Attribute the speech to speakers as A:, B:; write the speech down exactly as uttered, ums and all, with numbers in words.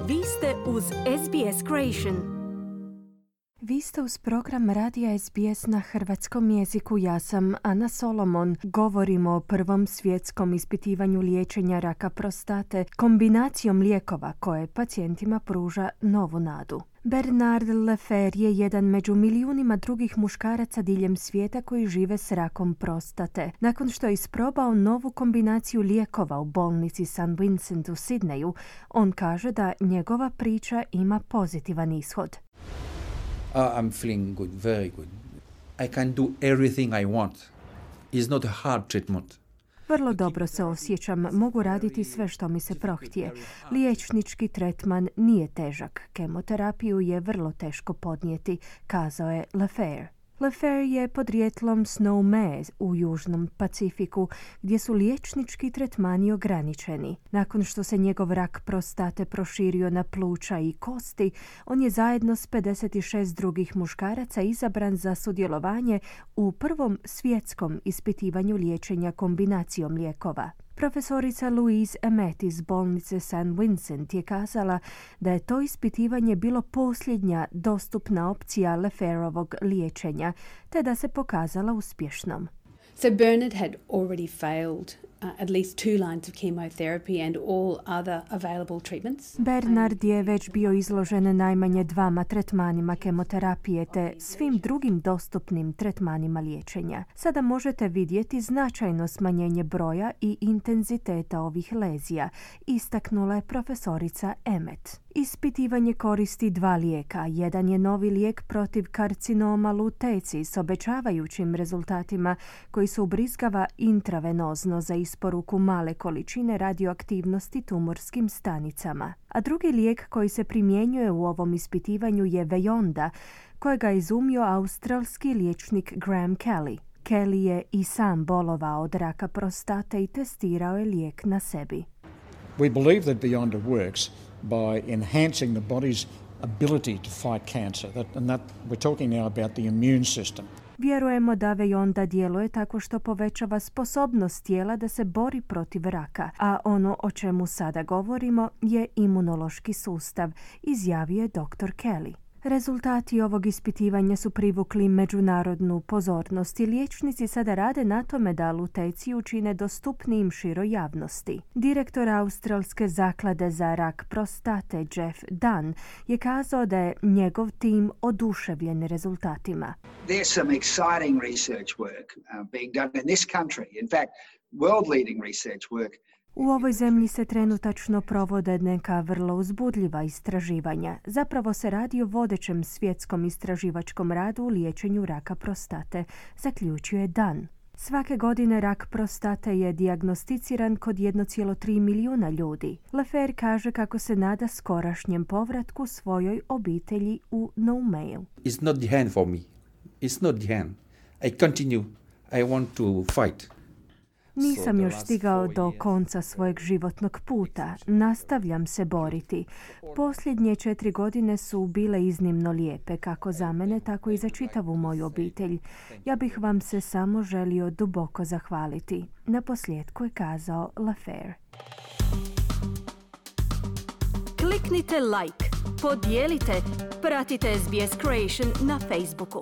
A: Vi ste uz S B S Creation. Vi ste uz program radija S B S na hrvatskom jeziku. Ja sam Ana Solomon. Govorimo o prvom svjetskom ispitivanju liječenja raka prostate kombinacijom lijekova koje pacijentima pruža novu nadu. Bernard Leffer je jedan među milijunima drugih muškaraca diljem svijeta koji žive s rakom prostate. Nakon što je isprobao novu kombinaciju lijekova u bolnici Saint Vincent u Sidneju, on kaže da njegova priča ima pozitivan ishod.
B: Uh, I'm feeling good, very good. I can do everything I want. It's not a hard treatment.
A: Vrlo dobro se osjećam, mogu raditi sve što mi se prohtije. Liječnički tretman nije težak, kemoterapiju je vrlo teško podnijeti, kazao je Leffer. Leffer je podrijetlom s Nome u Južnom Pacifiku, gdje su liječnički tretmani ograničeni. Nakon što se njegov rak prostate proširio na pluća i kosti, on je zajedno s pedeset šest drugih muškaraca izabran za sudjelovanje u prvom svjetskom ispitivanju liječenja kombinacijom lijekova. Profesorica Louise Emmett iz bolnice Saint Vincent je kazala da je to ispitivanje bilo posljednja dostupna opcija Lefferovog liječenja, te da se pokazala uspješnom.
C: So Bernard had already failed uh, at least two lines of chemotherapy and all other available treatments.
A: Bernard je već bio izložen najmanje dvama tretmanima kemoterapije te svim drugim dostupnim tretmanima liječenja. Sada možete vidjeti značajno smanjenje broja i intenziteta ovih lezija, istaknula je profesorica Emmett. Ispitivanje koristi dva lijeka. Jedan je novi lijek protiv karcinoma luteci s obećavajućim rezultatima koji se ubrizgava intravenozno za isporuku male količine radioaktivnosti tumorskim stanicama. A drugi lijek koji se primjenjuje u ovom ispitivanju je Vejonda, kojega je izumio australski liječnik Graham Kelly. Kelly je i sam bolovao od raka prostate i testirao je lijek na sebi.
D: We believe that Vejonda works by enhancing the body's ability to fight cancer. That, and that we're talking now about the immune system.
A: Vjerujemo da Vejonda djeluje tako što povećava sposobnost tijela da se bori protiv raka, a ono o čemu sada govorimo je imunološki sustav, izjavio je doktor Kelly. Rezultati ovog ispitivanja su privukli međunarodnu pozornost i liječnici sada rade na tome da luteciju učine dostupnijim široj javnosti. Direktor Australske zaklade za rak prostate Jeff Dunn je kazao da je njegov tim oduševljen rezultatima.
E: There's some exciting research work uh, being done in this country. In fact, world leading research work.
A: U ovoj zemlji se trenutačno provode neka vrlo uzbudljiva istraživanja. Zapravo se radi o vodećem svjetskom istraživačkom radu u liječenju raka prostate, zaključio je Dunn. Svake godine rak prostate je dijagnosticiran kod jedan zarez tri milijuna ljudi. Leffer kaže kako se nada skorašnjem povratku svojoj obitelji u Noumeju.
B: It's not the end for me. It's not the end. I continue. I want to fight.
A: Nisam još stigao do konca svojeg životnog puta. Nastavljam se boriti. Posljednje četiri godine su bile iznimno lijepe, kako za mene, tako i za čitavu moju obitelj. Ja bih vam se samo želio duboko zahvaliti. Na posljedku je kazao Leffer.
F: Kliknite like, podijelite, pratite S B S Creation na Facebooku.